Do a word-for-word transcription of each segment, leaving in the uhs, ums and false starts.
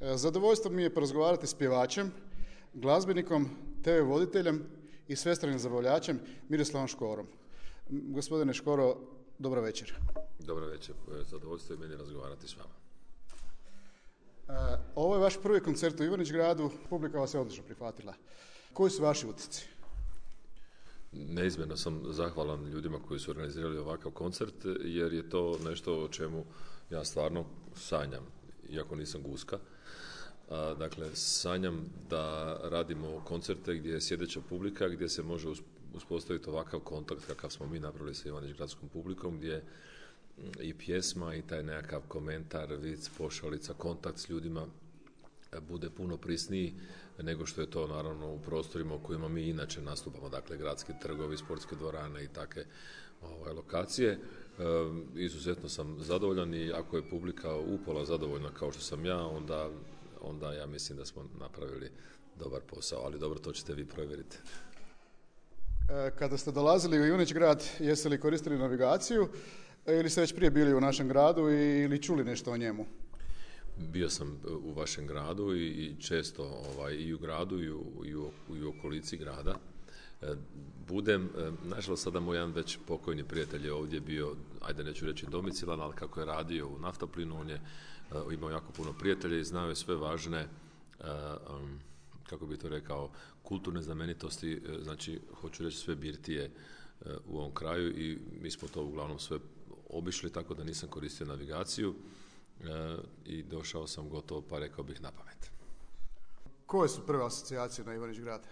Zadovoljstvo mi je porazgovarati s pjevačem, glazbenikom, te ve voditeljem i svestranim zabavljačem Miroslavom Škorom. Gospodine Škoro, dobro večer. Dobro večer, zadovoljstvo je meni razgovarati s vama. Ovo je vaš prvi koncert u Ivanić Gradu, publika vas je odlično prihvatila. Koji su vaši utisci? Neizmjerno sam zahvalan ljudima koji su organizirali ovakav koncert, jer je to nešto o čemu ja stvarno sanjam, iako nisam guska. Dakle, sanjam da radimo koncerte gdje je sjedeća publika, gdje se može uspostaviti ovakav kontakt kakav smo mi napravili sa Ivanić gradskom publikom, gdje i pjesma i taj nekakav komentar, vic, pošalica, kontakt s ljudima bude puno prisniji nego što je to naravno u prostorima u kojima mi inače nastupamo, dakle gradski trgovi, sportske dvorane i takve ovaj, lokacije. E, izuzetno sam zadovoljan i ako je publika upola zadovoljna kao što sam ja, onda, onda ja mislim da smo napravili dobar posao, ali dobro, to ćete vi provjeriti. E, kada ste dolazili u Ivanić Grad, jeste li koristili navigaciju ili ste već prije bili u našem gradu ili čuli nešto o njemu? Bio sam u vašem gradu i, i često ovaj, i u gradu i u, i u, i u okolici grada. E, budem, e, nažalost sada moj jedan već pokojni prijatelj je ovdje bio, ajde neću reći domicilan, ali kako je radio u Naftaplinu, on je e, imao jako puno prijatelja i znao je sve važne, e, um, kako bi to rekao, kulturne znamenitosti, e, znači hoću reći sve birtije e, u ovom kraju i mi smo to uglavnom sve obišli, tako da nisam koristio navigaciju. E, i došao sam gotovo, pa rekao bih, na pamet. Koje su prve asocijacije na Ivanić Grad? E,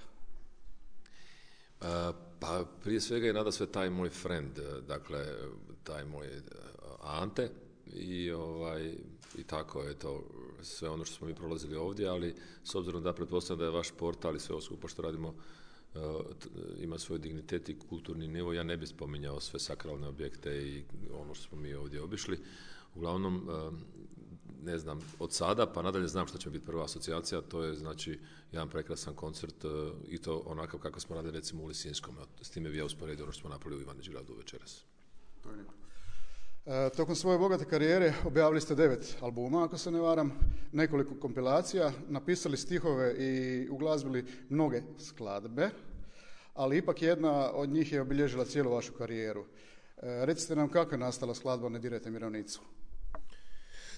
pa prije svega je nada sve taj moj friend, dakle taj moj Ante i, ovaj, i tako je to sve ono što smo mi prolazili ovdje, ali s obzirom da pretpostavljam da je vaš portal i sve ovo skupa što radimo Uh, ima svoj dignitet i kulturni nivo, ja ne bih spominjao sve sakralne objekte i ono što smo mi ovdje obišli. Uglavnom, uh, ne znam, od sada pa nadalje znam što će biti prva asocijacija, to je znači jedan prekrasan koncert uh, i to onakav kako smo radili recimo u Lisinskom, s time bi ja usporedio ono što smo napravili u Ivanić Gradu večeras. To je lijepo. E, tokom svoje bogate karijere objavili ste devet albuma, ako se ne varam, nekoliko kompilacija, napisali stihove i uglazbili mnoge skladbe, ali ipak jedna od njih je obilježila cijelu vašu karijeru. E, recite nam kako je nastala skladba Ne dirajte mi ravnicu?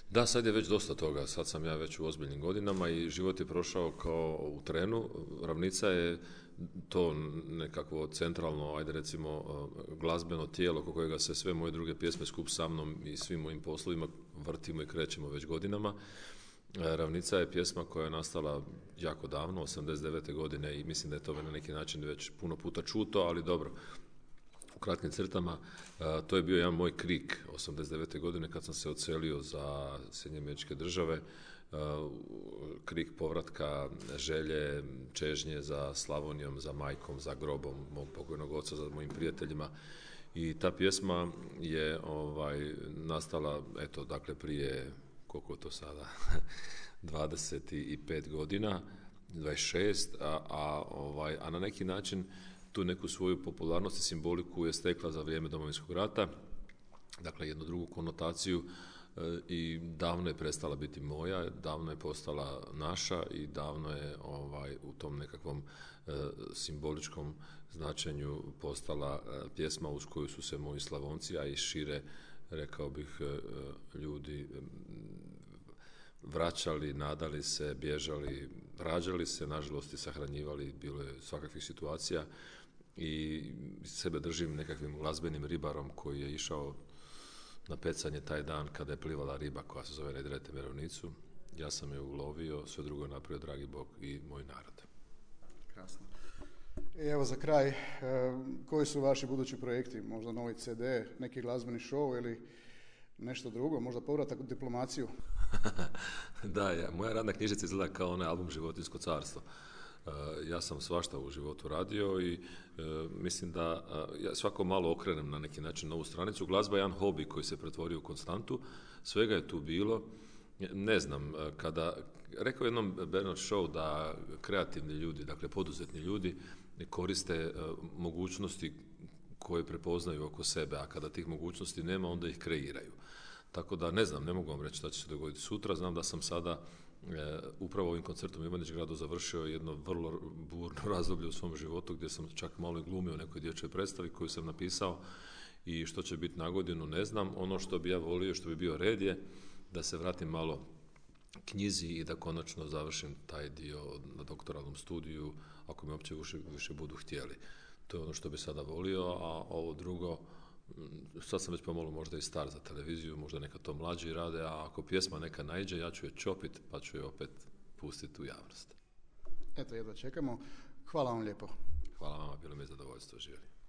Da, sad je već dosta toga, sad sam ja već u ozbiljnim godinama i život je prošao kao u trenu. Ravnica je to nekakvo centralno, ajde recimo, glazbeno tijelo oko kojega se sve moje druge pjesme skup sa mnom i svim mojim poslovima vrtimo i krećemo već godinama. Ravnica je pjesma koja je nastala jako davno, osamdeset devete godine i mislim da je to na neki način već puno puta čuto, ali dobro. U kratkim crtama, to je bio jedan moj krik osamdeset devete godine kad sam se odselio za Sjedinjene Američke Države, krik povratka, želje, čežnje za Slavonijom, za majkom, za grobom mog pokojnog oca, za mojim prijateljima. I ta pjesma je ovaj, nastala, eto, dakle, prije, koliko je to sada, dvadeset pet godina, dvadeset šest, a, a, ovaj, a na neki način tu neku svoju popularnost i simboliku je stekla za vrijeme Domovinskog rata, dakle jednu drugu konotaciju e, i davno je prestala biti moja, davno je postala naša i davno je ovaj, u tom nekakvom e, simboličkom značenju postala e, pjesma uz koju su se moji Slavonci, a i šire, rekao bih, e, ljudi e, vraćali, nadali se, bježali, rađali se, nažalost i sahranjivali, bilo je svakakvih situacija i sebe držim nekakvim glazbenim ribarom koji je išao na pecanje taj dan kada je plivala riba koja se zove Ne dirajte mi ravnicu. Ja sam je ulovio, sve drugo je napravio dragi Bog i moj narod. Krasno. I evo za kraj, e, koji su vaši budući projekti? Možda novi ce de, neki glazbeni show ili nešto drugo, možda povratak u diplomaciju? Da, ja, moja radna knjižica izgleda kao onaj album Životinjsko carstvo. Uh, ja sam svašta u životu radio i uh, mislim da uh, ja svako malo okrenem na neki način novu stranicu. Glazba je jedan hobi koji se pretvorio u konstantu, svega je tu bilo. Ne znam, kada, rekao jednom Bernard Shaw da kreativni ljudi, dakle poduzetni ljudi koriste uh, mogućnosti koje prepoznaju oko sebe, a kada tih mogućnosti nema, onda ih kreiraju. Tako da ne znam, ne mogu vam reći šta će se dogoditi sutra, znam da sam sada upravo ovim koncertom u Ivanić Gradu završio jedno vrlo burno razdoblje u svom životu gdje sam čak malo i glumio u nekoj dječjoj predstavi koju sam napisao i što će biti na godinu ne znam. Ono što bi ja volio, što bi bio red je da se vratim malo knjizi i da konačno završim taj dio na doktoralnom studiju ako me uopće više, više budu htjeli. To je ono što bi sada volio, a ovo drugo, sad sam već pomalo možda i star za televiziju, možda neka to mlađi rade, a ako pjesma neka naiđe, ja ću je čopit pa ću je opet pustiti u javnost. Eto, jedva čekamo. Hvala vam lijepo. Hvala vama, bilo mi je zadovoljstvo, živjeli.